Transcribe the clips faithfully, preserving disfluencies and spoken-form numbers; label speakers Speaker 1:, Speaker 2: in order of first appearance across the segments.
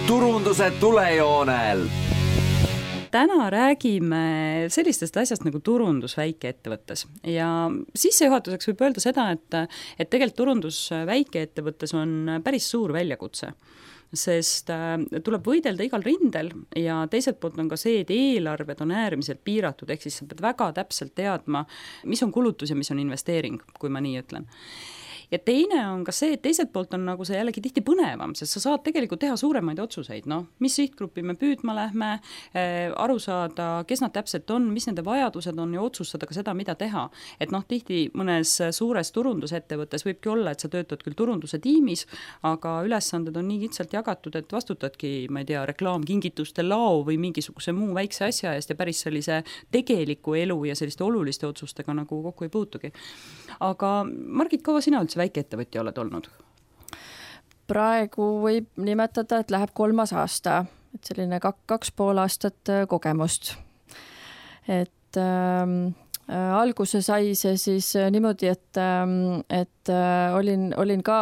Speaker 1: turunduse tulejoonel.
Speaker 2: Täna räägime sellistest asjast nagu turundus väikeettevõttes ja sissejuhatuseks võib öelda seda, et, et tegelikult turundus väikeettevõttes on päris suur väljakutse, sest tuleb võidelda igal rindel ja teiselt poolt on ka see, et eelarved on äärmiselt piiratud, ehk siis sa pead väga täpselt teadma, mis on kulutus ja mis on investeering, kui ma nii ütlen. Ja teine on ka see, et teiselt poolt on nagu see jällegi tihti põnevam, sest sa saad tegelikult teha suuremaid otsuseid, noh, mis sihtgruppi me püüdma lähme, aru saada, kes nad täpselt on, mis nende vajadused on ja otsustada ka seda, mida teha. Et noh, tihti mõnes suures turundusettevõttes võibki olla, et sa töötad küll turunduse tiimis, aga ülesanded on nii kitsalt jagatud, et vastutadki, ma ei tea, reklaamkingituste lao või mingisuguse muu väikse asja eest ja päris sellise tegeliku elu ja selliste oluliste otsustega nagu kokku ei puutugi. Aga Margit, kaua sina üldse väikeettevõtja oled olnud?
Speaker 3: Praegu võib nimetada, et läheb kolmas aasta, et selline kak, kaks pool aastat kogemust. Et ähm, äh, alguse sai see siis niimoodi, et, ähm, et äh, olin, olin ka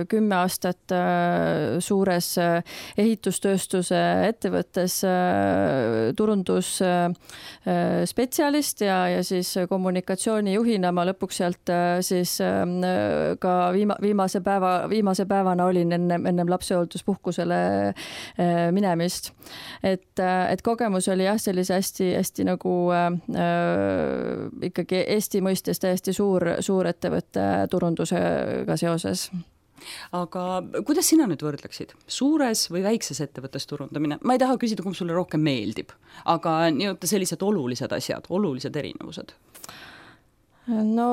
Speaker 3: kümme aastat äh, suures äh, ehitustööstuse ettevõttes äh, turundus äh, spetsialist ja, ja siis kommunikatsioonijuhina ma lõpuks sealt äh, siis äh, ka viima, viimase, päeva, viimase päevana olin ennem, ennem lapsehoolduspuhkusele äh, minemist. Et, äh, et kogemus oli jah, sellise hästi, hästi nagu äh, ikkagi Eesti mõistes täiesti suur, suur ettevõtte turundusega seoses.
Speaker 2: Aga kuidas sina nüüd võrdleksid? Suures või väikses ettevõttes turundamine? Ma ei taha küsida, kumb sulle rohkem meeldib, aga nii-öelda sellised olulised asjad, olulised erinevused.
Speaker 3: No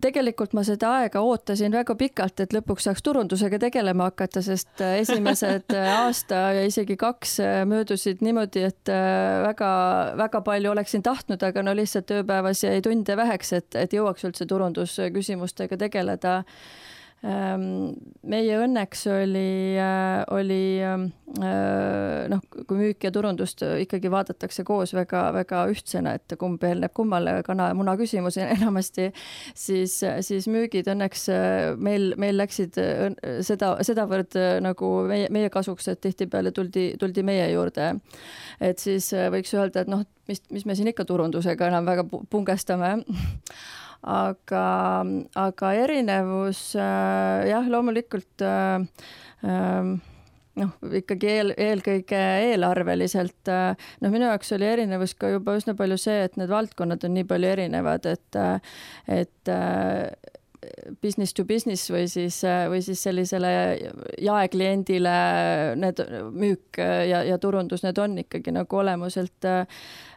Speaker 3: tegelikult ma seda aega ootasin väga pikalt, et lõpuks saaks turundusega tegelema hakata, sest esimesed aasta ja isegi kaks möödusid niimoodi, et väga, väga palju oleksin tahtnud, aga no lihtsalt tööpäevas jäi tunde väheks, et, et jõuaks üldse turundusküsimustega tegeleda. Meie õnneks oli, oli noh, kui müük ja turundust ikkagi vaadatakse koos väga, väga ühtsena, et kumb eelneb kummale kana ja muna küsimus enamasti, siis, siis müügid õnneks meil, meil läksid seda, sedavõrd nagu meie, meie kasuks, et tihtipeale tuldi, tuldi meie juurde. Et siis võiks öelda, et noh, mis, mis me siin ikka turundusega enam väga pungestame. Aga, aga erinevus jah, loomulikult noh, ikkagi eel, eelkõige eelarveliselt. No minu jaoks oli erinevus ka juba üsna palju see, et need valdkonnad on nii palju erinevad, et, et business to business või siis, või siis sellisele jaekliendile need müük ja, ja turundus, need on ikkagi nagu olemuselt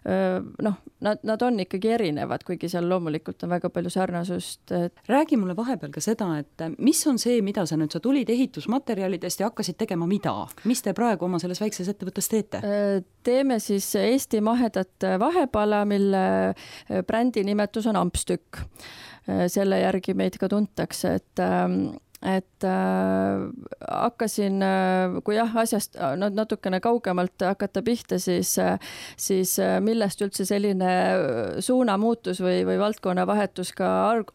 Speaker 3: noh, nad, nad on ikkagi erinevad, kuigi seal loomulikult on väga palju sarnasust.
Speaker 2: Räägi mulle vahepeal ka seda, et mis on see, mida sa nüüd, sa tulid ehitusmaterjalidest ja hakkasid tegema mida? Mis te praegu oma selles väikses ettevõttes teete?
Speaker 3: Teeme siis Eesti mahedat vahepala, mille brändi nimetus on Ampstükk. Selle järgi meid ka tuntakse, et et äh, hakkasin, kui jah, asjast natukene kaugemalt hakata pihta, siis, siis millest üldse selline suunamuutus või, või valdkonna vahetus ka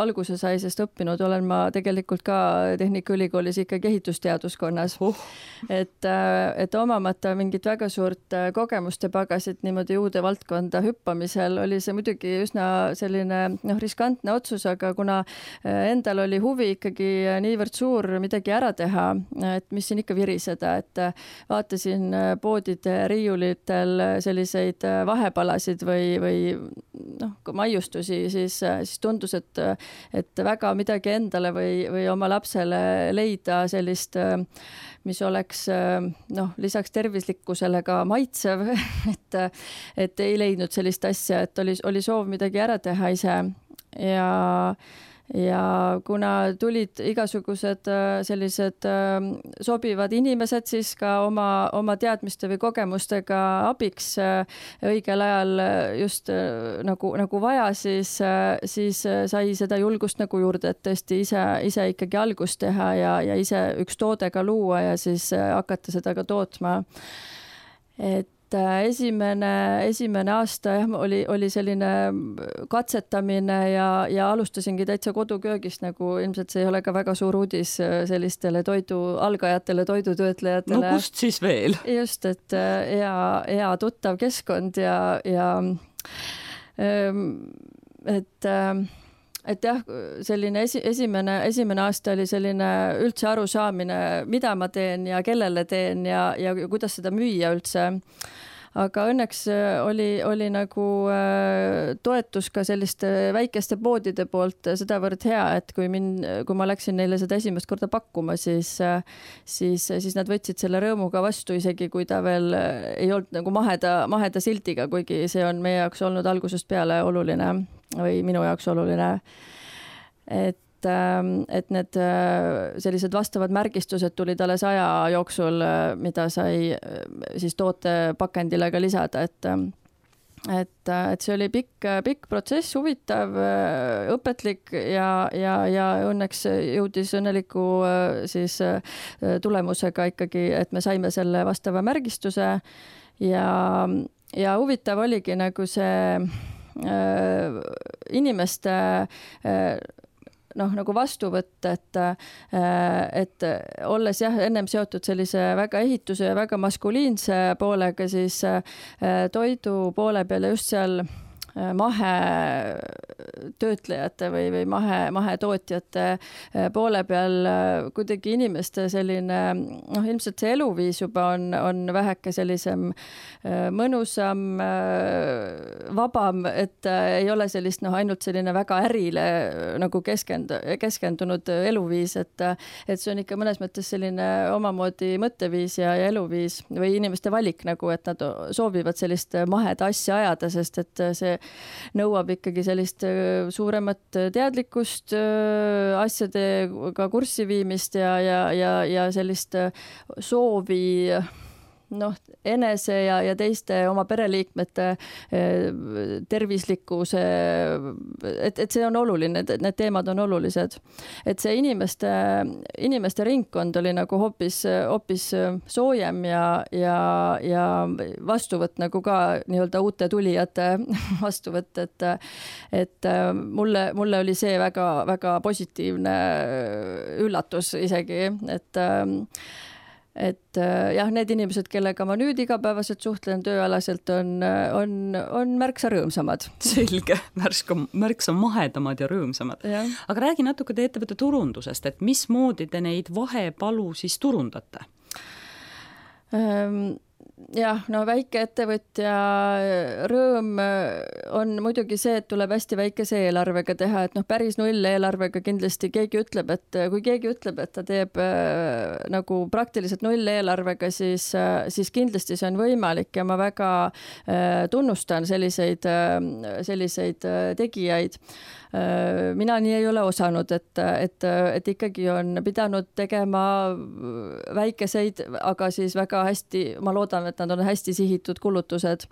Speaker 3: alguse sai, sest õppinud olen ma tegelikult ka Tehnikaülikoolis ikkagi ehitusteaduskonnas. Uh. Et, et omamata mingit väga suurt kogemuste pagasid niimoodi uude valdkonda hüppamisel oli see muidugi üsna selline noh, riskantne otsus, aga kuna endal oli huvi ikkagi niivõrd suur midagi ära teha, et mis siin ikka viriseda, et vaatasin poodide riiulitel selliseid vahepalasid või, või noh, maiustusi, siis, siis tundus, et, et väga midagi endale või, või oma lapsele leida sellist, mis oleks noh, lisaks tervislikkusele ka maitsev, et, et ei leidnud sellist asja, et oli, oli soov midagi ära teha ise ja ja kuna tulid igasugused sellised sobivad inimesed, siis ka oma, oma teadmiste või kogemustega abiks õigel ajal just nagu, nagu vaja, siis, siis sai seda julgust nagu juurde, et tõesti ise, ise ikkagi algust teha ja, ja ise üks toode ka luua ja siis hakata seda ka tootma. Et et esimene, esimene aasta jah, oli, oli selline katsetamine ja, ja alustasingi täitsa koduköögist, nagu ilmselt see ei ole ka väga suur uudis sellistele toidu, algajatele, toidutöötlejatele.
Speaker 2: No kust siis veel?
Speaker 3: Just, et hea, hea tuttav keskkond ja, ja et et jah, selline esi, esimene, esimene aasta oli selline üldse arusaamine, mida ma teen ja kellele teen ja, ja kuidas seda müüa üldse. Aga õnneks oli, oli nagu toetus ka selliste väikeste poodide poolt sedavõrd hea, et kui, min, kui ma läksin neile seda esimest korda pakkuma, siis, siis, siis nad võtsid selle rõõmuga vastu, isegi kui ta veel ei olnud nagu maheda, maheda sildiga, kuigi see on meie jaoks olnud algusest peale oluline või minu jaoks oluline, et, et need sellised vastavad märgistused tulid alles aja jooksul, mida sai siis toote pakendile ka lisada, et, et, et see oli pikk, pikk protsess, huvitav, õpetlik ja, ja, ja õnneks jõudis õnneliku siis tulemusega ikkagi, et me saime selle vastava märgistuse ja, ja huvitav oligi nagu see inimeste noh, nagu vastu võtta, et, et olles jah, ennem seotud sellise väga ehituse ja väga maskuliinse poolega, siis toidu poole peal ja just seal mahe töötlejate või, või mahe, mahetootjate poole peal kuidagi inimeste selline, noh, ilmselt see eluviis juba on, on väheke sellisem mõnusam, vabam, et ei ole sellist, noh, ainult selline väga ärile nagu keskend, keskendunud eluviis, et, et see on ikka mõnes mõttes selline omamoodi mõtteviis ja, ja eluviis või inimeste valik nagu, et nad soovivad sellist maheda asja ajada, sest et see nõuab ikkagi sellist suuremat teadlikkust, asjadega kurssi viimist ja, ja, ja, ja sellist soovi noh, enese ja, ja teiste oma pereliikmete tervislikkuse, et, et see on oluline, et need teemad on olulised. Et see inimeste, inimeste ringkond oli nagu hoopis, hoopis soojem ja, ja, ja vastuvõtt nagu ka nii-öelda uute tulijate vastuvõtt, et, et mulle, mulle oli see väga, väga positiivne üllatus isegi, et et jah, need inimesed, kellega ma nüüd igapäevaselt suhtlen tööalaselt, on, on, on märksa rõõmsamad.
Speaker 2: Selge, märksa, märksa mahedamad ja rõõmsamad. Ja. Aga räägi natuke te ettevõtte turundusest, et mismoodi te neid vahepalu siis turundate?
Speaker 3: Ähm, jah, no väike ettevõtja rõõm on muidugi see, et tuleb hästi väikese eelarvega teha, et noh, päris null eelarvega kindlasti keegi ütleb, et kui keegi ütleb, et ta teeb äh, nagu praktiliselt null eelarvega, siis, äh, siis kindlasti see on võimalik ja ma väga äh, tunnustan selliseid, äh, selliseid äh, tegijaid. Mina nii ei ole osanud, et, et, et ikkagi on pidanud tegema väikeseid, aga siis väga hästi, ma loodan, et nad on hästi sihitud kulutused.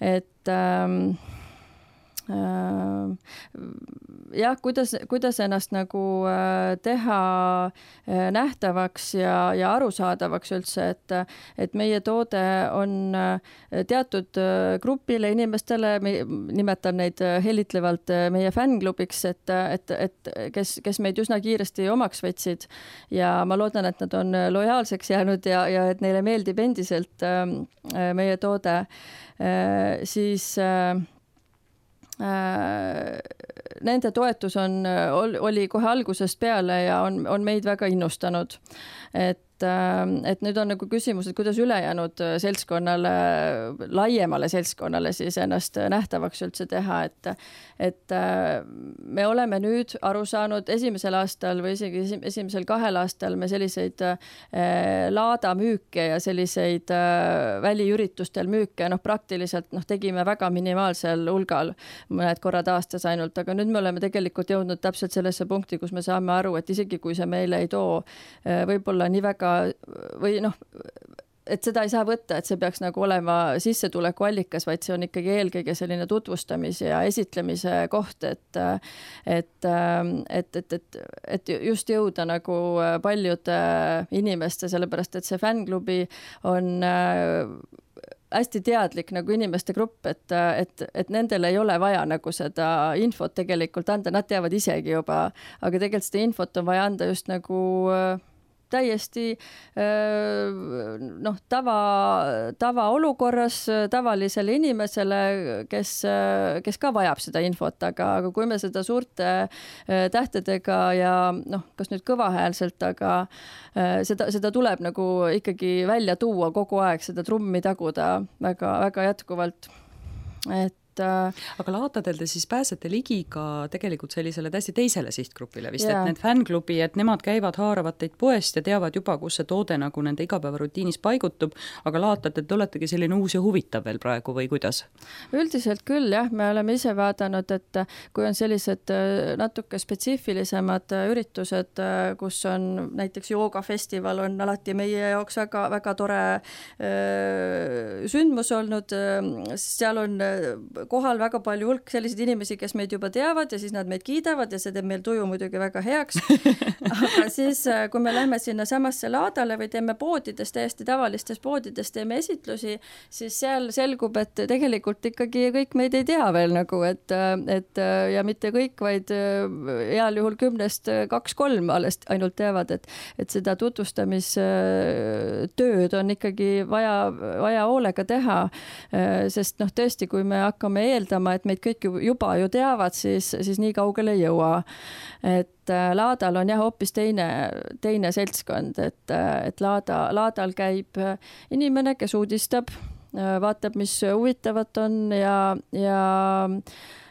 Speaker 3: Et ähm, äh, jah, kuidas, kuidas ennast nagu teha nähtavaks ja, ja arusaadavaks üldse, et, et meie toode on teatud grupile inimestele, nimetan neid helitlevalt meie fännklubiks, et, et, et kes, kes meid üsna kiiresti omaks võtsid ja ma loodan, et nad on lojaalseks jäänud ja, ja et neile meeldib endiselt meie toode, siis nende toetus on, oli kohe algusest peale ja on, on meid väga innustanud. Et, et nüüd on nagu küsimus, et kuidas ülejäänud seltskonnale, laiemale seltskonnale siis ennast nähtavaks üldse teha, et, et me oleme nüüd aru saanud esimesel aastal või isegi esimesel kahel aastal me selliseid laadamüüke ja selliseid väliüritustel müüke, noh praktiliselt noh, tegime väga minimaalsel hulgal, mõned korrad aastas ainult, aga nüüd me oleme tegelikult jõudnud täpselt sellesse punkti, kus me saame aru, et isegi kui see meile ei too võib-olla nii väga või noh, et seda ei saa võtta, et see peaks nagu olema sissetuleku allikas, vaid see on ikkagi eelkõige selline tutvustamise ja esitlemise koht, et, et, et, et, et, et just jõuda nagu paljude inimeste, sellepärast et see fännklubi on hästi teadlik nagu inimeste grupp, et, et, et nendel ei ole vaja nagu seda infot tegelikult anda, nad teavad isegi juba, aga tegelikult seda infot on vaja anda just nagu täiesti noh, tava, tava olukorras tavalisele inimesele, kes, kes ka vajab seda infot, aga, aga kui me seda suurte tähtedega ja noh, kas nüüd kõvahäälselt, aga seda, seda tuleb nagu ikkagi välja tuua kogu aeg, seda trummi taguda väga, väga jätkuvalt, et
Speaker 2: aga laatadel te siis pääsete ligi ka tegelikult sellisele täiesti teisele sihtgrupile vist,
Speaker 3: yeah.
Speaker 2: et need fännklubi, et nemad käivad, haaravad teid poest ja teavad juba, kus see toode nagu nende igapäevarutiinis paigutub, aga laatad, et oletegi selline uus ja huvitav veel praegu või kuidas?
Speaker 3: Üldiselt küll, jah, me oleme ise vaadanud, et kui on sellised natuke spetsiifilisemad üritused, kus on näiteks joogafestival on alati meie jaoks väga, väga tore öö, sündmus olnud, seal on kohal väga palju hulk selliseid inimesi, kes meid juba teavad ja siis nad meid kiidavad ja see teeb meil tuju muidugi väga heaks. Aga siis, kui me lähme sinna samasse laadale või teeme poodides, täiesti tavalistes poodides teeme esitlusi, siis seal selgub, et tegelikult ikkagi kõik meid ei tea veel nagu, et, et ja mitte kõik, vaid heal juhul kümnest kaks-kolm alles ainult teavad, et, et seda tutvustamistööd on ikkagi vaja, vaja hoolega teha, sest noh, tõesti, kui me hakkame eeldama, et meid kõik juba ju teavad, siis, siis nii kaugele ei jõua. Et laadal on jah hoopis teine, teine seltskond, et, et laada, laadal käib inimene, kes uudistab, vaatab, mis huvitavat on ja, ja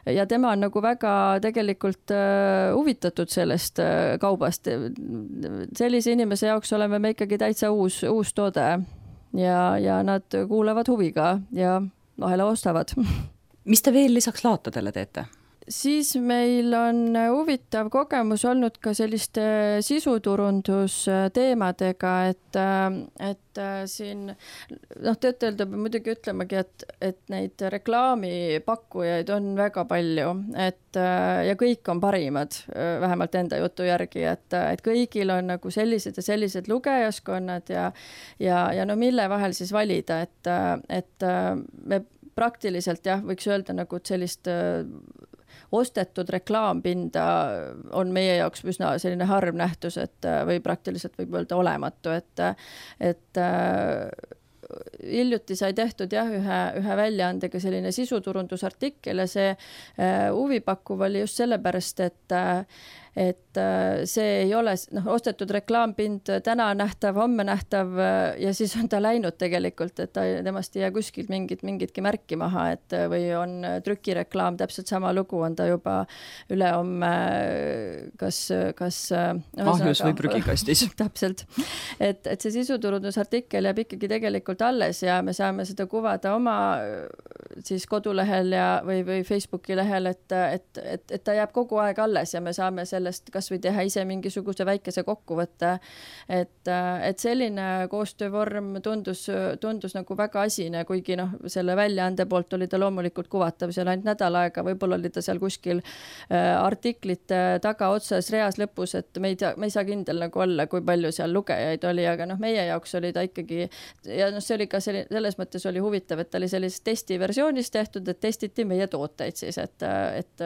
Speaker 3: ja tema on nagu väga tegelikult huvitatud sellest kaubast. Sellise inimese jaoks oleme me ikkagi täitsa uus, uus toode ja, ja nad kuulavad huviga ja vahele ostavad.
Speaker 2: Mis te veel lisaks laatadele teete?
Speaker 3: Siis meil on huvitav kogemus olnud ka selliste sisuturundusteemadega, et, et siin noh, tõtt-öelda muidugi ütlemegi, et, et neid reklaamipakkujaid on väga palju, et ja kõik on parimad, vähemalt enda jutu järgi, et, et kõigil on nagu sellised ja sellised lugejaskonnad ja, ja, ja no mille vahel siis valida, et, et me praktiliselt jah, võiks öelda nagu sellist ostetud reklaampinda on meie jaoks üsna selline harv nähtus, et või praktiliselt võib öelda olematu, et, et hiljuti sai tehtud jah, ühe, ühe väljaandega selline sisuturundusartikkel ja see huvipakkuv oli just sellepärast, et et see ei ole noh, ostetud reklaampind täna nähtav, homme nähtav ja siis on ta läinud tegelikult, et ta, temast ei jää kuskilt mingit, mingitki märki maha, et või on trükireklaam, täpselt sama lugu on ta juba üle homme kas, kas
Speaker 2: ahjus või prügikastis.
Speaker 3: Täpselt, et, et see sisuturundusartikkel jääb ikkagi tegelikult alles ja me saame seda kuvada oma siis kodulehel ja, või, või Facebooki lehel, et, et, et, et ta jääb kogu aeg alles ja me saame sellest kas või teha ise mingisuguse väikese kokkuvõtte, et, et selline koostöövorm tundus, tundus nagu väga asine, kuigi noh, selle väljaande poolt oli ta loomulikult kuvatav seal ainult nädal aega, võib-olla oli ta seal kuskil artiklite taga otsas reas lõpus, et me ei tea, me ei saa kindel nagu olla, kui palju seal lugejaid oli, aga noh, meie jaoks oli ta ikkagi ja noh, see oli ka selline, selles mõttes oli huvitav, et ta oli sellises testiversioonis tehtud, et testiti meie tooteid siis, et, et,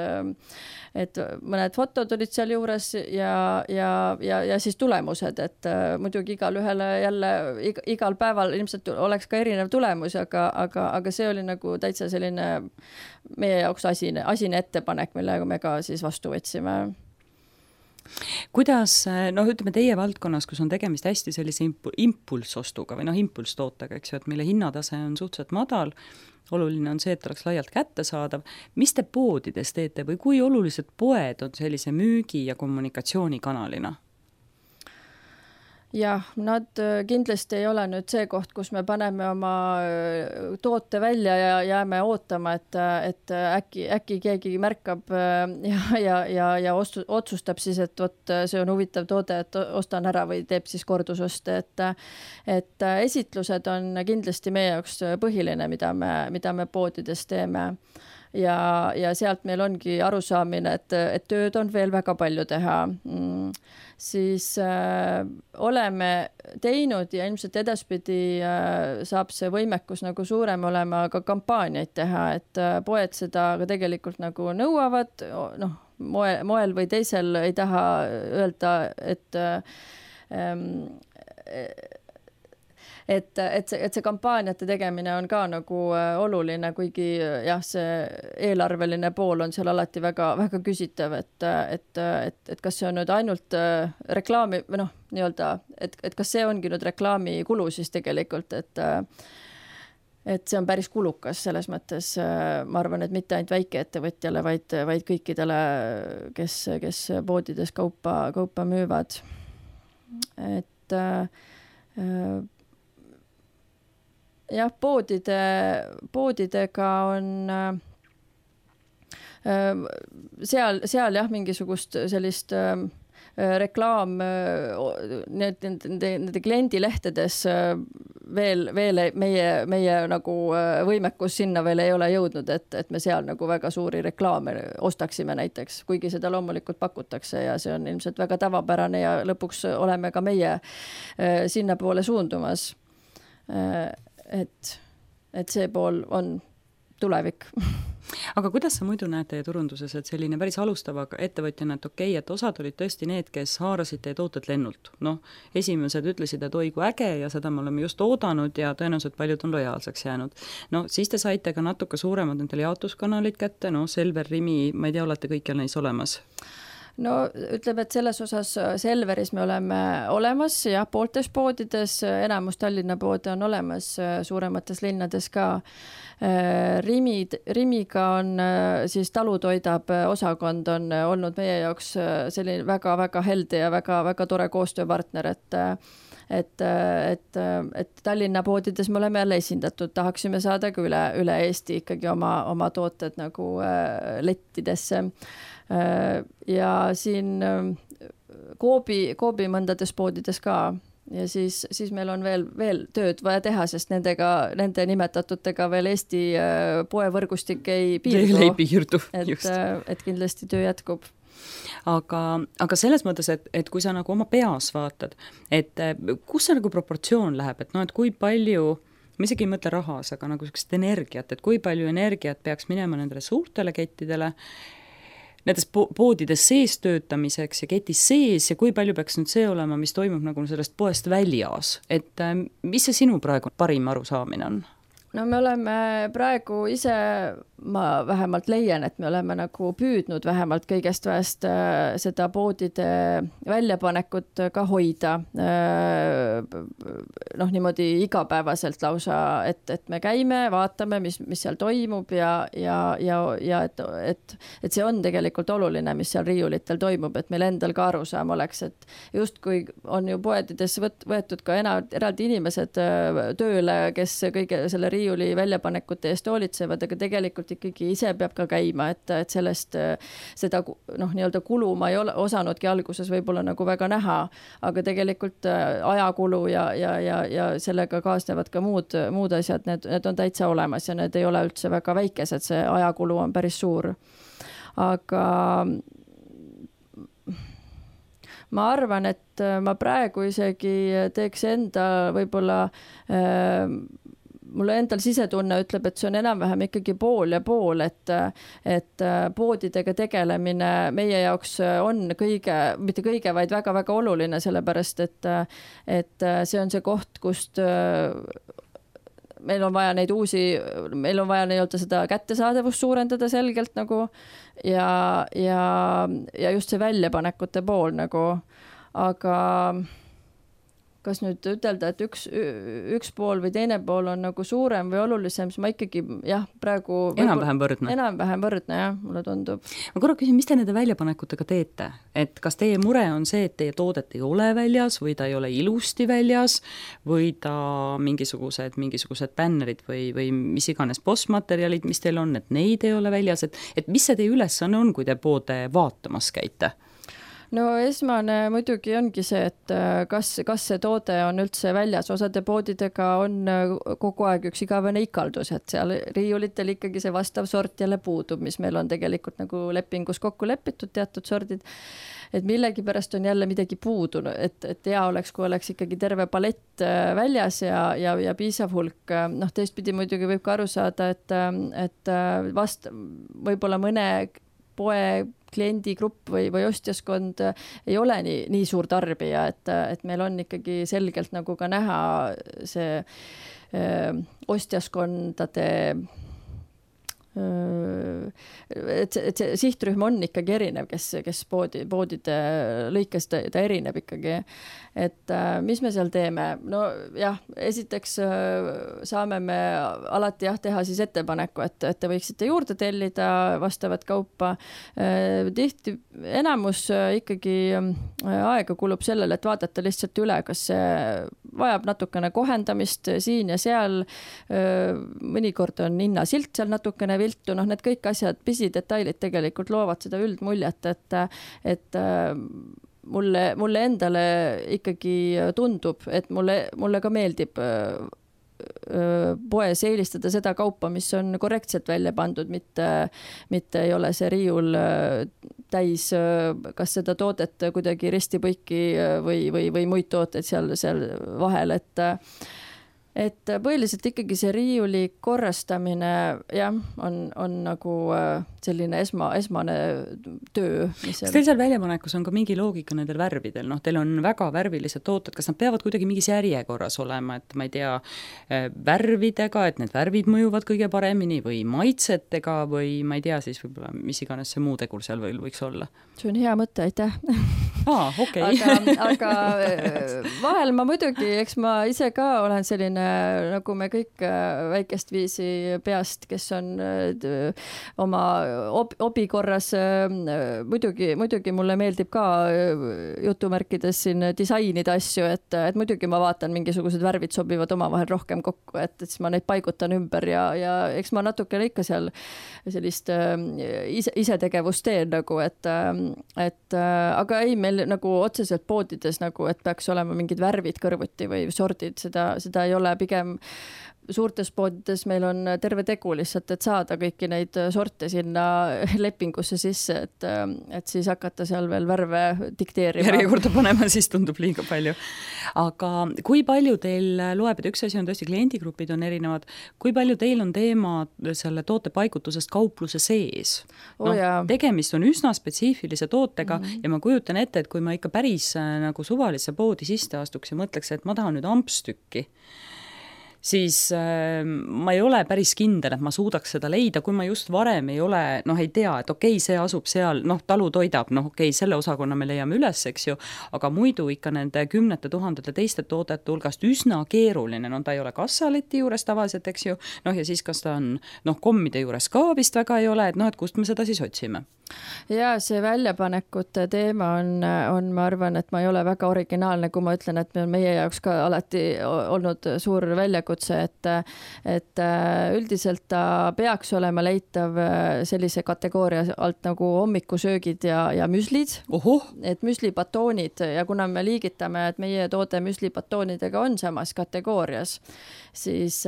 Speaker 3: et mõned fotod olid seal juures ja, ja, ja, ja siis tulemused, et äh, muidugi igal ühele jälle ig, igal päeval ilmselt oleks ka erinev tulemus, aga, aga, aga see oli nagu täitsa selline meie jaoks asine, asine ettepanek, millega me ka siis vastu võtsime.
Speaker 2: Kuidas, noh, ütleme teie valdkonnas, kus on tegemist hästi sellise impulsostuga või noh, impulstootega, eks ju, et mille hinnatase on suhteliselt madal, oluline on see, et oleks laialt kättesaadav. Mis te poodides teete või kui olulised poed on sellise müügi- ja kommunikatsioonikanalina?
Speaker 3: Jah, nad kindlasti ei ole nüüd see koht, kus me paneme oma toote välja ja jääme ootama, et, et äkki, äkki keegi märkab ja, ja, ja, ja ostu, otsustab siis, et võt, see on huvitav toode, et ostan ära või teeb siis kordusoste, et, et esitlused on kindlasti meie jaoks põhiline, mida me, mida me poodides teeme. ja, ja sealt meil ongi arusaamine, et, et tööd on veel väga palju teha. Siis äh, oleme teinud ja ilmselt edaspidi äh, saab see võimekus nagu suurem olema ka kampaaniaid teha, et äh, poed seda ka tegelikult nagu nõuavad, noh, moe, moel või teisel ei taha öelda, et ähm, et, et see, et see kampaaniate tegemine on ka nagu oluline, kuigi jah, see eelarveline pool on seal alati väga, väga küsitav, et, et, et, et kas see on nüüd ainult reklaami, või noh, nii-öelda, et, et kas see ongi nüüd reklaamikulu siis tegelikult, et et see on päris kulukas selles mõttes, ma arvan, et mitte ainult väikeettevõtjale, vaid, vaid kõikidele, kes, kes poodides kaupa, kaupa müüvad. Et äh, jah, poodide, poodidega on äh, seal, seal jah, mingisugust sellist äh, reklaam need, nende, nende kliendilehtedes veel, veel meie, meie nagu võimekus sinna veel ei ole jõudnud, et, et me seal nagu väga suuri reklaame ostaksime näiteks, kuigi seda loomulikult pakutakse ja see on ilmselt väga tavapärane ja lõpuks oleme ka meie sinna poole suundumas. Et, et see pool on tulevik.
Speaker 2: Aga kuidas sa muidu näed teie turunduses, et selline päris alustava ettevõtjana, et okei, et osad olid tõesti need, kes haarasid teie tooted lennult. Noh, esimesed ütlesid, et oi kui äge ja seda me oleme just oodanud ja tõenäoliselt paljud on lojaalseks jäänud. No siis te saite ka natuke suuremad nendele jaotuskanalid kätte, no Selver, Rimi, ma ei tea, olete kõikjal neis olemas?
Speaker 3: No ütleb, et selles osas Selveris me oleme olemas ja pooltes poodides, enamus Tallinna poode on olemas, suuremates linnades ka. Rimi, Rimiga on siis talutoidab osakond on olnud meie jaoks selline väga-väga helde ja väga-väga tore koostööpartner, et et, et, et Tallinna poodides me oleme jälle esindatud, tahaksime saada ka üle, üle Eesti ikkagi oma, oma tooted nagu lettidesse. Ja siin Koobi, Koobi mõndades poodides ka ja siis, siis meil on veel, veel tööd vaja teha, sest nendega, nende nimetatutega veel Eesti poevõrgustik ei piirdu.
Speaker 2: Veel ei piirdu,
Speaker 3: just. Et, et kindlasti töö jätkub.
Speaker 2: Aga, aga selles mõttes, et, et kui sa nagu oma peas vaatad, et kus see nagu proportsioon läheb, et no, et kui palju, ma isegi ei mõtle rahas, aga nagu sellist energiat, et kui palju energiat peaks minema nendele suurtele kettidele, nendes poodides sees töötamiseks ja ketis sees ja kui palju peaks nüüd see olema, mis toimub nagu sellest poest väljas, et mis see sinu praegu parim arusaamine on?
Speaker 3: No me oleme praegu ise, ma vähemalt leian, et me oleme nagu püüdnud vähemalt kõigest väest seda poodide väljapanekut ka hoida. Noh, niimoodi igapäevaselt lausa, et, et me käime, vaatame, mis, mis seal toimub ja, ja, ja, ja et, et, et see on tegelikult oluline, mis seal riiulitel toimub, et meil endal ka arusaam oleks, et just kui on ju poedides võt, võetud ka ena, eraldi inimesed tööle, kes kõige selle riiulitel riiuli väljapanekute eest hoolitsevad, aga tegelikult ikkagi ise peab ka käima, et, et sellest seda noh, nii-öelda kulu ma ei ole osanudki alguses võib-olla nagu väga näha, aga tegelikult ajakulu ja, ja, ja, ja sellega kaasnevad ka muud, muud asjad, need, need on täitsa olemas ja need ei ole üldse väga väikesed, see ajakulu on päris suur. Aga ma arvan, et ma praegu isegi teeks enda võib-olla äh, mulle endal sisetunne ütleb, et see on enam-vähem ikkagi pool ja pool, et, et poodidega tegelemine meie jaoks on kõige, mitte kõige, vaid väga-väga oluline, sellepärast, et, et see on see koht, kust meil on vaja neid uusi, meil on vaja nii-öelda seda kättesaadavust suurendada selgelt nagu ja, ja, ja just see väljapanekute pool nagu, aga kas nüüd ütelda, et üks, üks pool või teine pool on nagu suurem või olulisem, siis ma ikkagi, jah, praegu
Speaker 2: enam-vähem võrdne.
Speaker 3: Enam-vähem võrdne, jah, mulle tundub.
Speaker 2: Ma korra küsin, mis te nende väljapanekutega teete? Et kas teie mure on see, et teie toodet ei ole väljas või ta ei ole ilusti väljas või ta mingisugused, mingisugused bännerid või, või mis iganes postmaterjalid, mis teil on, et neid ei ole väljas, et, et mis see teie ülesanne on, kui te poode vaatamas käite?
Speaker 3: no esmane muidugi ongi see, et kas, kas see toode on üldse väljas, osade poodidega on kogu aeg üks igavene ikaldus, et seal riiulitel ikkagi see vastav sort jälle puudub, mis meil on tegelikult nagu lepingus kokku lepitud teatud sordid, et millegi pärast on jälle midagi puudu, et, et hea oleks, kui oleks ikkagi terve palett väljas ja, ja, ja piisav hulk. Noh, teistpidi muidugi võib ka aru saada, et, et vast võib-olla mõne poe kliendigrupp või, või ostjaskond ei ole nii, nii suur tarbija, et, et meil on ikkagi selgelt nagu ka näha see öö, ostjaskondade et see, et see sihtrühm on ikkagi erinev, kes, kes poodi, poodide lõikes ta, ta erineb ikkagi. Et mis me seal teeme? No jah, esiteks saame me alati jah teha siis ettepaneku, et, et te võiksite juurde tellida vastavat kaupa. Tihti enamus ikkagi aega kulub sellele, et vaadata lihtsalt üle, kas see vajab natukene kohendamist siin ja seal. Mõnikord on hinnasilt seal natukene viltu, noh need kõik asjad, pisidetailid tegelikult loovad seda üldmuljet, et, et mulle, mulle endale ikkagi tundub, et mulle, mulle ka meeldib poes eelistada seda kaupa, mis on korrektselt välja pandud, mitte, mitte ei ole see riiul täis kas seda toodet kuidagi ristipõiki või, või, või muid tooteid seal, seal vahel, et et põhiliselt ikkagi see riiuli korrastamine jah, on, on nagu selline esma, esmane töö.
Speaker 2: Kas teil seal väljapanekus on ka mingi loogika nendel värvidel? Noh, teil on väga värvilised tooted, kas nad peavad kuidagi mingis järjekorras olema, et ma ei tea, värvidega, et need värvid mõjuvad kõige paremini või maitsetega või ma ei tea siis võib-olla, mis iganes see muu tegur seal võiks olla?
Speaker 3: See on hea mõte, aitäh.
Speaker 2: Aa, okei.
Speaker 3: Okay. aga, aga vahel ma muidugi, eks ma ise ka olen selline nagu me kõik väikest viisi peast, kes on oma ob- obi korras, muidugi, muidugi mulle meeldib ka jutumärkides siin disainida asju, et, et muidugi ma vaatan, mingisugused värvid sobivad omavahel rohkem kokku, et, et siis ma neid paigutan ümber ja, ja eks ma natukene ikka seal sellist ise, isetegevust teen nagu, et, et aga ei, meil nagu otseselt poodides nagu, et peaks olema mingid värvid kõrvuti või sordid, seda, seda ei ole. Pigem suurtes poodides meil on terve tegu lihtsalt, et saada kõiki neid sorte sinna lepingusse sisse, et, et siis hakata seal veel värve dikteerima.
Speaker 2: Järjekorda panema, siis tundub liiga palju. Aga kui palju teil loeb, et üks asi on tõesti kliendigrupid on erinevad, kui palju teil on teema selle toote paigutusest kaupluse sees?
Speaker 3: Oh,
Speaker 2: no, tegemist on üsna spetsiifilise tootega mm-hmm. ja ma kujutan ette, et kui ma ikka päris nagu suvalisse poodi sisse astuks ja mõtleks, et ma tahan nüüd ampstükki, siis äh, ma ei ole päris kindel, et ma suudaks seda leida, kui ma just varem ei ole, noh ei tea, et okei, see asub seal, noh talu toidab, noh okei, selle osakonna me leiame üles, eks ju, aga muidu ikka nende kümnete tuhandete teiste toodete hulgast üsna keeruline, no ta ei ole kassaleti juures tavaliselt, eks ju, noh ja siis kas ta on, noh kommide juures ka vist väga ei ole, et noh, et kust me seda siis otsime?
Speaker 3: Ja see väljapanekute teema on, on, ma arvan, et ma ei ole väga originaalne, kui ma ütlen, et meie jaoks ka alati olnud suur väljakutse, et, et üldiselt ta peaks olema leitav sellise kategooria alt nagu hommikusöögid ja, ja müslid,
Speaker 2: Oho.
Speaker 3: et müslibatoonid ja kuna me liigitame, et meie toode müslibatoonidega on samas kategoorias, siis,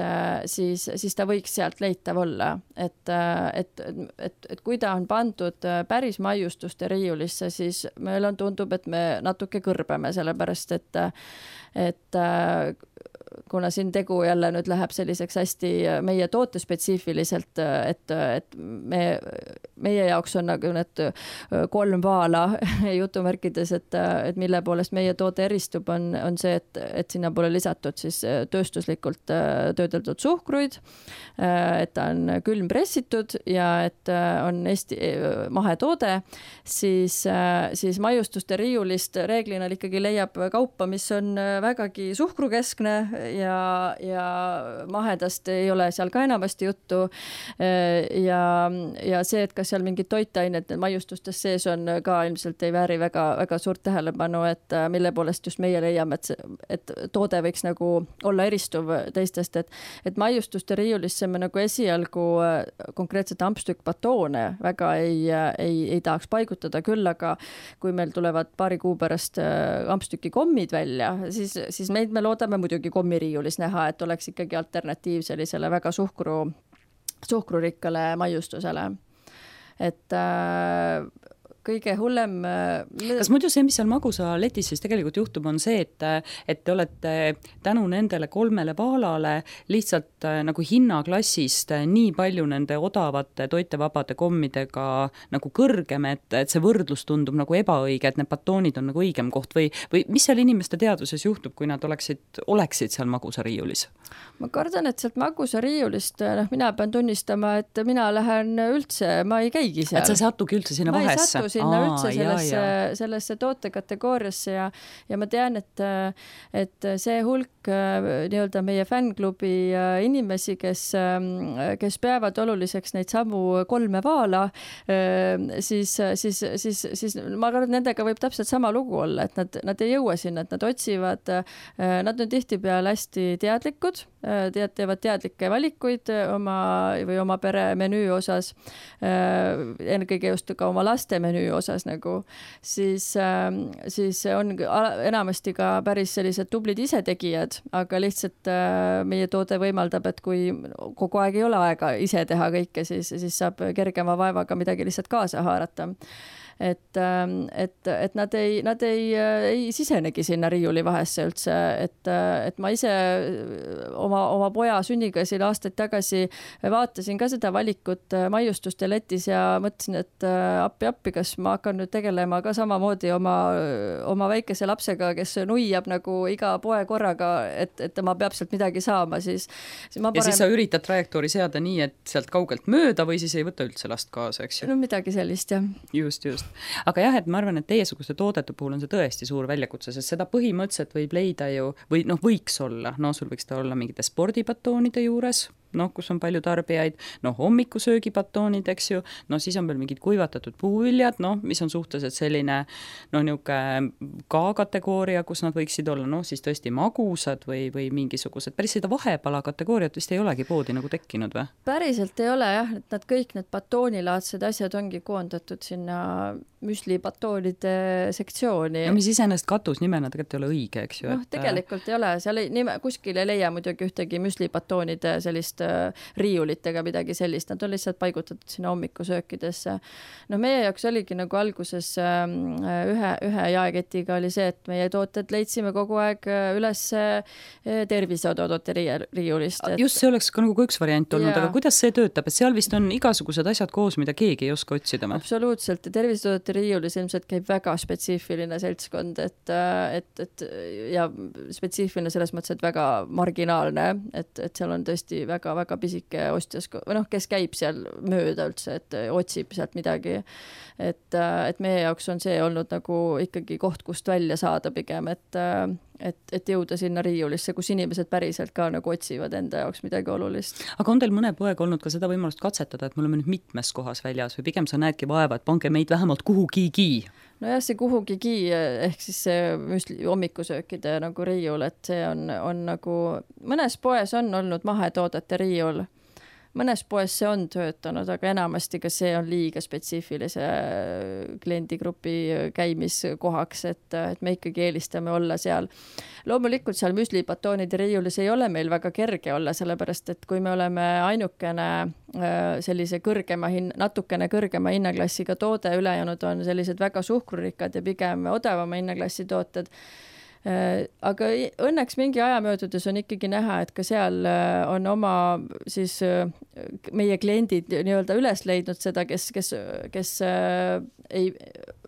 Speaker 3: siis, siis ta võiks sealt leitav olla, et, et, et, et kui ta on pandud päris maiustuste riiulisse, siis meil on tundub, et me natuke kõrbeme, sellepärast et, et kuna siin tegu jälle nüüd läheb selliseks hästi meie toote spetsiifiliselt, et, et me, meie jaoks on nagu need kolm vaala jutumärkides, et, et mille poolest meie toode eristub, on, on see, et, et sinna pole lisatud siis tööstuslikult töödeldud suhkruid, et ta on külmpressitud ja et on Eesti mahetoode, siis, siis maiustuste riiulist reeglina ikkagi leiab kaupa, mis on vägagi suhkrukeskne ja, ja mahedast ei ole seal ka enamasti juttu ja, ja see, et kas seal mingid toitained maiustustes sees on ka ilmselt ei vääri väga, väga suurt tähelepanu, et mille poolest just meie leiame, et, see, et toode võiks nagu olla eristuv teistest, et, et maiustuste riiulisse me nagu esialgu konkreetselt ampstükk batoone väga ei, ei, ei tahaks paigutada, küll aga kui meil tulevad paari kuu pärast ampstüki kommid välja, siis, siis meid me loodame muidugi kommiriiulis näha, et oleks ikkagi alternatiiv sellisele väga suhkru, suhkrurikkale maiustusele. Et äh, kõige hullem...
Speaker 2: Kas muidu see, mis seal magusa letis siis tegelikult juhtub, on see, et, et te olete tänu nendele kolmele vaalale lihtsalt nagu hinnaklassist nii palju nende odavate toitevabade kommidega nagu kõrgem, et, et see võrdlus tundub nagu ebaõige, et need batoonid on nagu õigem koht või, või mis seal inimeste teaduses juhtub, kui nad oleksid, oleksid seal magusa riiulis?
Speaker 3: Ma kardan, et sealt magusa riiulist, noh, mina pean tunnistama, et mina lähen üldse, ma ei käigi seal.
Speaker 2: Et sa satugi üldse sinna vahesse?
Speaker 3: sinna Aa, üldse sellesse, sellesse tootekategooriasse ja, ja ma tean, et, et see hulk nii-öelda meie fännklubi inimesi, kes, kes peavad oluliseks neid samu kolme vaala, siis, siis, siis, siis ma arvan, et nendega võib täpselt sama lugu olla, et nad, nad ei jõua sinna, et nad otsivad, nad on tihtipeale hästi teadlikud, tead, teevad teadlikke valikuid oma või oma pere menüü osas, ennekõige just ka oma laste menüü osas nagu, siis, siis on enamasti ka päris sellised tublid isetegijad, aga lihtsalt meie toode võimaldab, et kui kogu aeg ei ole aega ise teha kõike, siis, siis saab kergema vaevaga midagi lihtsalt kaasa haarata. Et, et, et nad ei, nad ei, ei sisenegi sinna riiuli vahesse üldse, et, et ma ise oma, oma poja sünniga siin aastaid tagasi vaatasin ka seda valikut maiustuste letis ja mõtlesin, et appi appi, kas ma hakkan nüüd tegelema ka samamoodi oma, oma väikese lapsega, kes nuiab nagu iga poe korraga, et, et tema peab sealt midagi saama, siis, siis ma
Speaker 2: parem...
Speaker 3: Ja
Speaker 2: siis sa üritad trajektoori seada nii, et sealt kaugelt mööda või siis ei võta üldse last kaasa, eks ju?
Speaker 3: No midagi sellist, jah.
Speaker 2: Just, just. Aga jah, et ma arvan, et teiesuguste toodete puhul on see tõesti suur väljakutse, sest seda põhimõtteliselt võib leida ju, või noh, võiks olla, no sul võiks ta olla mingite spordibatoonide juures, noh, kus on palju tarbijaid, noh, hommikusöögibatoonid, eks ju, no siis on veel mingid kuivatatud puuviljad, noh, mis on suhteliselt selline, noh, niisugune K-kategooria, kus nad võiksid olla, noh, siis tõesti magusad või, või mingisugused, päris seda vahepala kategooriat vist ei olegi poodi nagu tekkinud või?
Speaker 3: Päriselt ei ole jah, et nad kõik need batoonilaadsed asjad ongi koondatud sinna müslibatoonide sektsiooni.
Speaker 2: No mis iseenesest katusnimena tegelikult ei ole õige, eks ju?
Speaker 3: Noh, et... tegelikult ei ole, seal ei, nime, kuskil ei leia muidugi ühtegi müslibatoonide sellist riiulitega midagi sellist, nad on lihtsalt paigutatud sinna hommikusöökidesse. No meie jaoks oligi nagu alguses ühe, ühe jaeketiga oli see, et meie tooted leidsime kogu aeg üles terviseodotote riiulist. Et...
Speaker 2: Just see oleks ka nagu üks variant olnud, ja. Aga kuidas see töötab, et seal vist on igasugused asjad koos, mida keegi ei oska otsida?
Speaker 3: Absoluutselt, ja terviseodotote riiulis ilmselt käib väga spetsiifiline seltskond, et, et, et ja spetsiifiline selles mõttes, et väga marginaalne, et, et seal on tõesti väga väga pisike ostjas, või noh, kes käib seal mööda üldse, et otsib sealt midagi. Et, et meie jaoks on see olnud nagu ikkagi koht, kust välja saada pigem, et, et, et jõuda sinna riiulisse, kus inimesed päriselt ka nagu otsivad enda jaoks midagi olulist.
Speaker 2: Aga on teil mõne poeg olnud ka seda võimalust katsetada, et me oleme nüüd mitmes kohas väljas või pigem sa näedki vaeva, et pange meid vähemalt kuhugigi?
Speaker 3: No jah, see kuhugigi ehk siis see müsli, hommikusöökide nagu riiul, et see on, on nagu, mõnes poes on olnud mahetoodete riiul, mõnes poes see on töötanud, aga enamasti ka see on liiga spetsiifilise kliendigrupi käimiskohaks, et, et me ikkagi eelistame olla seal. Loomulikult seal müslibatoonide riiulis ei ole meil väga kerge olla, sellepärast, et kui me oleme ainukene sellise kõrgema hin-, natukene kõrgema hinnaklassiga toode, ülejäänud on sellised väga suhkrurikkad ja pigem odavama hinnaklassi tooted, aga õnneks mingi aja möödudes on ikkagi näha, et ka seal on oma siis meie kliendid nii-öelda üles leidnud seda, kes, kes, kes ei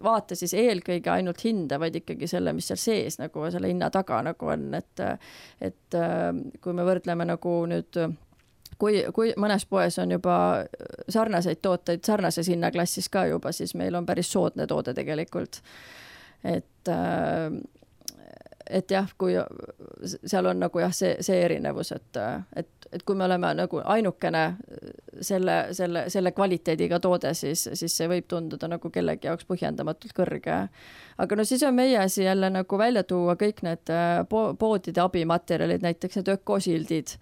Speaker 3: vaata siis eelkõige ainult hinda, vaid ikkagi selle, mis seal sees nagu selle hinna taga nagu on, et, et kui me võrdleme nagu nüüd kui, kui mõnes poes on juba sarnaseid tooteid sarnases hinnaklassis ka juba, siis meil on päris soodne toode tegelikult. Et et jah, kui seal on nagu jah, see, see erinevus, et, et, et kui me oleme nagu ainukene selle, selle, selle kvaliteediga toode, siis, siis see võib tunduda nagu kellegi jaoks põhjendamatult kõrge. Aga no siis on meie asi jälle nagu välja tuua kõik need po- poodide abimaterjalid, näiteks need ökosildid,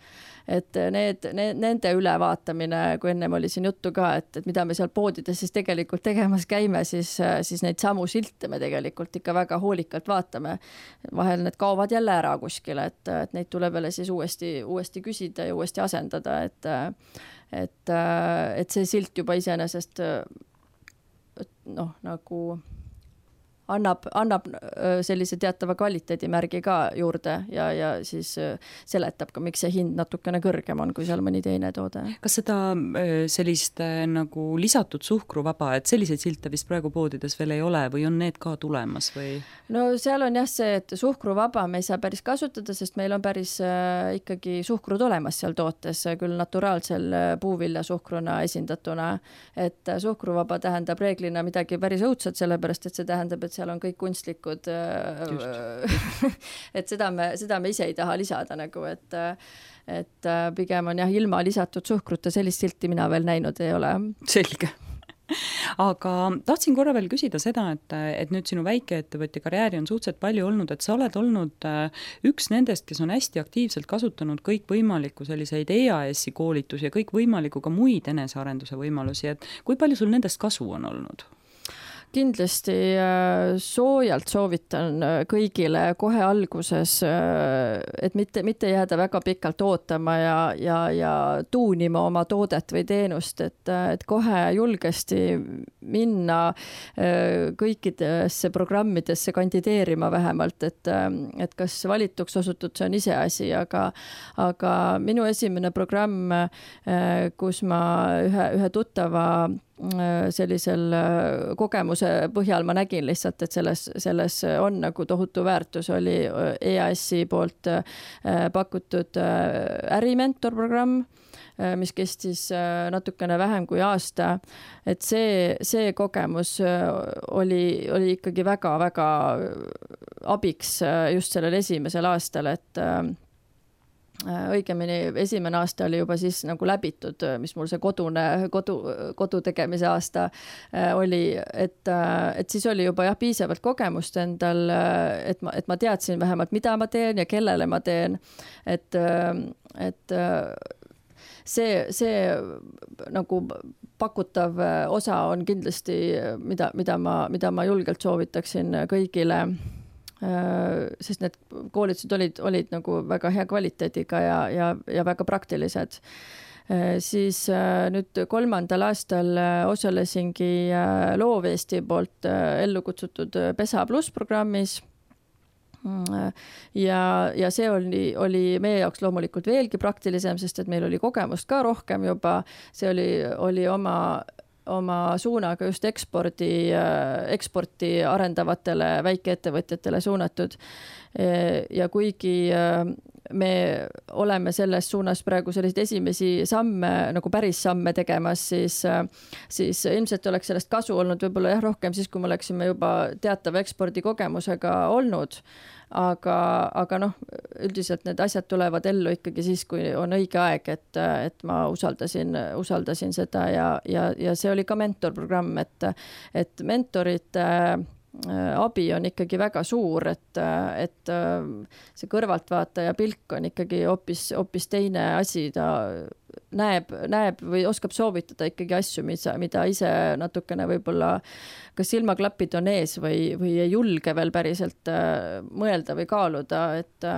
Speaker 3: et need, need, nende ülevaatamine, kui ennem oli siin juttu ka, et, et mida me seal poodides siis tegelikult tegemas käime, siis, siis neid samu silte me tegelikult ikka väga hoolikalt vaatame. Vahel need kaovad jälle ära kuskile, et, et neid tuleb jälle siis uuesti, uuesti küsida ja uuesti asendada, et, et, et see silt juba iseenesest noh, nagu annab, annab sellise teatava kvaliteedimärgi ka juurde ja, ja siis seletab ka, miks see hind natukene kõrgem on, kui seal mõni teine toode.
Speaker 2: Kas seda sellist nagu lisatud suhkruvaba, et selliseid silte vist praegu poodides veel ei ole või on need ka tulemas või?
Speaker 3: No seal on jah see, et suhkruvaba me ei saa päris kasutada, sest meil on päris äh, ikkagi suhkrud olemas seal tootes, küll naturaalsel puuvilja suhkruna esindatuna, et suhkruvaba tähendab reeglina midagi päris õudset, sellepärast et see tähendab, et seal on kõik kunstlikud, et seda me, seda me ise ei taha lisada nagu, et, et pigem on jah, ilma lisatud suhkruta, sellist silti mina veel näinud ei ole.
Speaker 2: Selge. Aga tahtsin korra veel küsida seda, et, et nüüd sinu väikeettevõtja karjääri on suhteliselt palju olnud, et sa oled olnud üks nendest, kes on hästi aktiivselt kasutanud kõik võimalikku selliseid E A S-i koolitusi ja kõik võimalikku ka muid enesearenduse võimalusi, et kui palju sul nendest kasu on olnud?
Speaker 3: Kindlasti soojalt soovitan kõigile kohe alguses, et mitte, mitte jääda väga pikalt ootama ja, ja, ja tuunima oma toodet või teenust, et, et kohe julgesti minna kõikidesse programmidesse kandideerima vähemalt, et, et kas valituks osutud, see on iseasi, aga, aga minu esimene programm, kus ma ühe, ühe tuttava sellisel kogemuse põhjal ma nägin lihtsalt, et selles, selles on nagu tohutu väärtus, oli E A S-i poolt pakutud ärimentor programm, mis kestis natukene vähem kui aasta, et see, see kogemus oli, oli ikkagi väga-väga abiks just sellel esimesel aastal, et õigemini esimene aasta oli juba siis nagu läbitud, mis mul see kodune, kodu, kodu tegemise aasta oli, et, et siis oli juba jah, piisavalt kogemust endal, et ma, et ma teadsin vähemalt, mida ma teen ja kellele ma teen, et, et see, see nagu pakutav osa on kindlasti, mida, mida ma, mida ma julgelt soovitaksin kõigile, sest need koolitused olid, olid nagu väga hea kvaliteediga ja, ja, ja väga praktilised. Siis nüüd kolmandal aastal osalesingi Loov Eesti poolt ellu kutsutud Pesa Plus programmis ja, ja see oli, oli meie jaoks loomulikult veelgi praktilisem, sest et meil oli kogemust ka rohkem juba, see oli, oli oma oma suunaga just ekspordi, eksporti arendavatele väikeettevõtjatele suunatud. Ja kuigi me oleme selles suunas praegu selliseid esimesi samme, nagu päris samme tegemas, siis, siis ilmselt oleks sellest kasu olnud võib-olla jah, rohkem siis, kui me oleksime juba teatava ekspordikogemusega olnud. Aga, aga noh, üldiselt need asjad tulevad ellu ikkagi siis, kui on õige aeg, et, et ma usaldasin, usaldasin seda ja, ja, ja see oli ka mentorprogramm, et, et mentorite abi on ikkagi väga suur, et, et see kõrvaltvaataja pilk on ikkagi hoopis, hoopis teine asi, ta näeb, näeb või oskab soovitada ikkagi asju, mida, mida ise natukene võib-olla kas silmaklapid on ees või, või ei julge veel päriselt mõelda või kaaluda, et,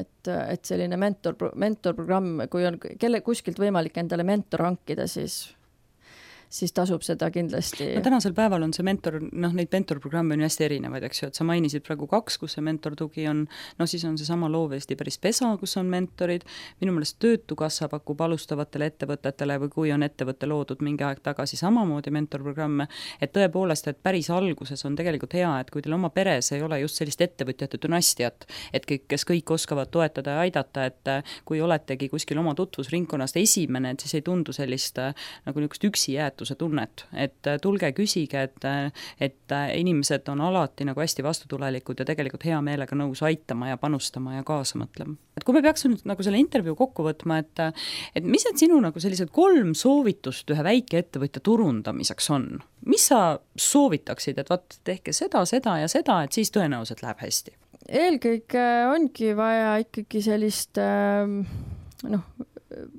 Speaker 3: et, et selline mentor, mentorprogramm, kui on kelle kuskilt võimalik endale mentor hankida, siis siis tasub seda kindlasti.
Speaker 2: No, tänasel päeval on see mentor, noh, neid mentorprogramme on hästi erinevaid, eks ju, et sa mainisid praegu kaks, kus see mentortugi on, no siis on see sama Loov Eesti päris Pesa, kus on mentorid, minu meelest Töötukassa pakub alustavatele ettevõtetele või kui on ettevõtte loodud mingi aeg tagasi samamoodi mentorprogramme, et tõepoolest, et päris alguses on tegelikult hea, et kui teil oma peres ei ole just sellist ettevõtjate dünastiat, et kõik, kes kõik oskavad toetada ja aidata, et kui oletegi kuskil oma tutvusringkonnast esimene, et siis ei tundu sellist nagu niisugust üksi jääd toetuse tunnet, et tulge küsige, et, et inimesed on alati nagu hästi vastutulelikud ja tegelikult hea meelega nõus aitama ja panustama ja kaasa mõtlema. Et kui me peaks nüüd nagu selle intervjuu kokku võtma, et, et mis need sinu nagu sellised kolm soovitust ühe väikeettevõtja turundamiseks on? Mis sa soovitaksid, et vaat tehke seda, seda ja seda, et siis tõenäoliselt läheb hästi?
Speaker 3: Eelkõige ongi vaja ikkagi sellist noh,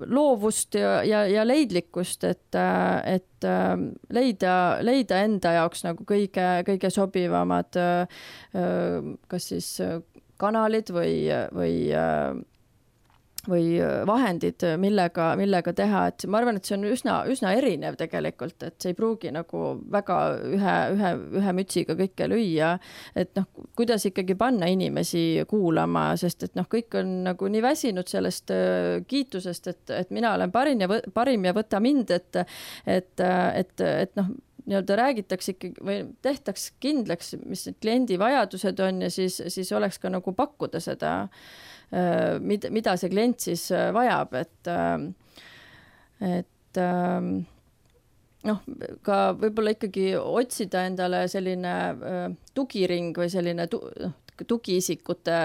Speaker 3: loovust ja, ja, ja leidlikkust, et, et leida, leida enda jaoks nagu kõige, kõige sobivamad kas siis kanalid või, või või vahendid, millega, millega teha, et ma arvan, et see on üsna, üsna erinev tegelikult, et see ei pruugi nagu väga ühe, ühe, ühe mütsiga kõike lüüa, et noh, kuidas ikkagi panna inimesi kuulama, sest et noh, kõik on nagu nii väsinud sellest kiitusest, et, et mina olen parim ja, parim ja võta mind, et, et, et, et noh, nii-öelda räägitakse ikkagi või tehtaks kindlaks, mis need kliendi vajadused on ja siis, siis oleks ka nagu pakkuda seda, mida, mida see klient siis vajab, et, et noh, ka võib-olla ikkagi otsida endale selline tugiring või selline tu, tugiisikute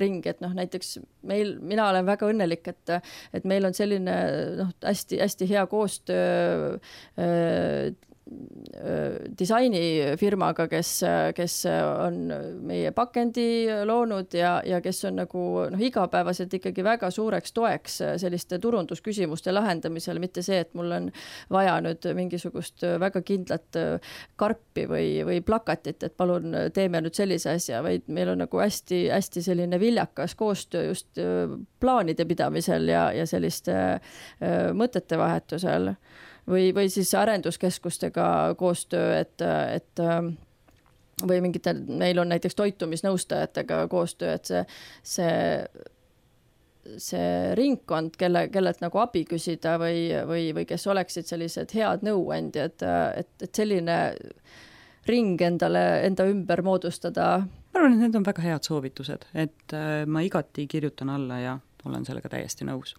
Speaker 3: ring, et noh, näiteks meil, mina olen väga õnnelik, et, et meil on selline noh, hästi, hästi hea koostöö disainifirmaga, kes, kes on meie pakendi loonud ja, ja kes on nagu noh, igapäevaselt ikkagi väga suureks toeks selliste turundusküsimuste lahendamisel, mitte see, et mul on vaja nüüd mingisugust väga kindlat karpi või, või plakatit, et palun teeme nüüd sellise asja, vaid meil on nagu hästi, hästi selline viljakas koostöö just plaanide pidamisel ja, ja selliste mõtete vahetusel. Või, või siis arenduskeskustega koostöö, et, et või mingitel, meil on näiteks toitumisnõustajatega koostöö, et see, see, see ringkond, kelle, kellelt nagu abi küsida või, või, või kes oleksid sellised head nõuandjad, et, et selline ring endale, enda ümber moodustada.
Speaker 2: Ma arvan, et need on väga head soovitused, et ma igati kirjutan alla ja olen sellega täiesti nõus.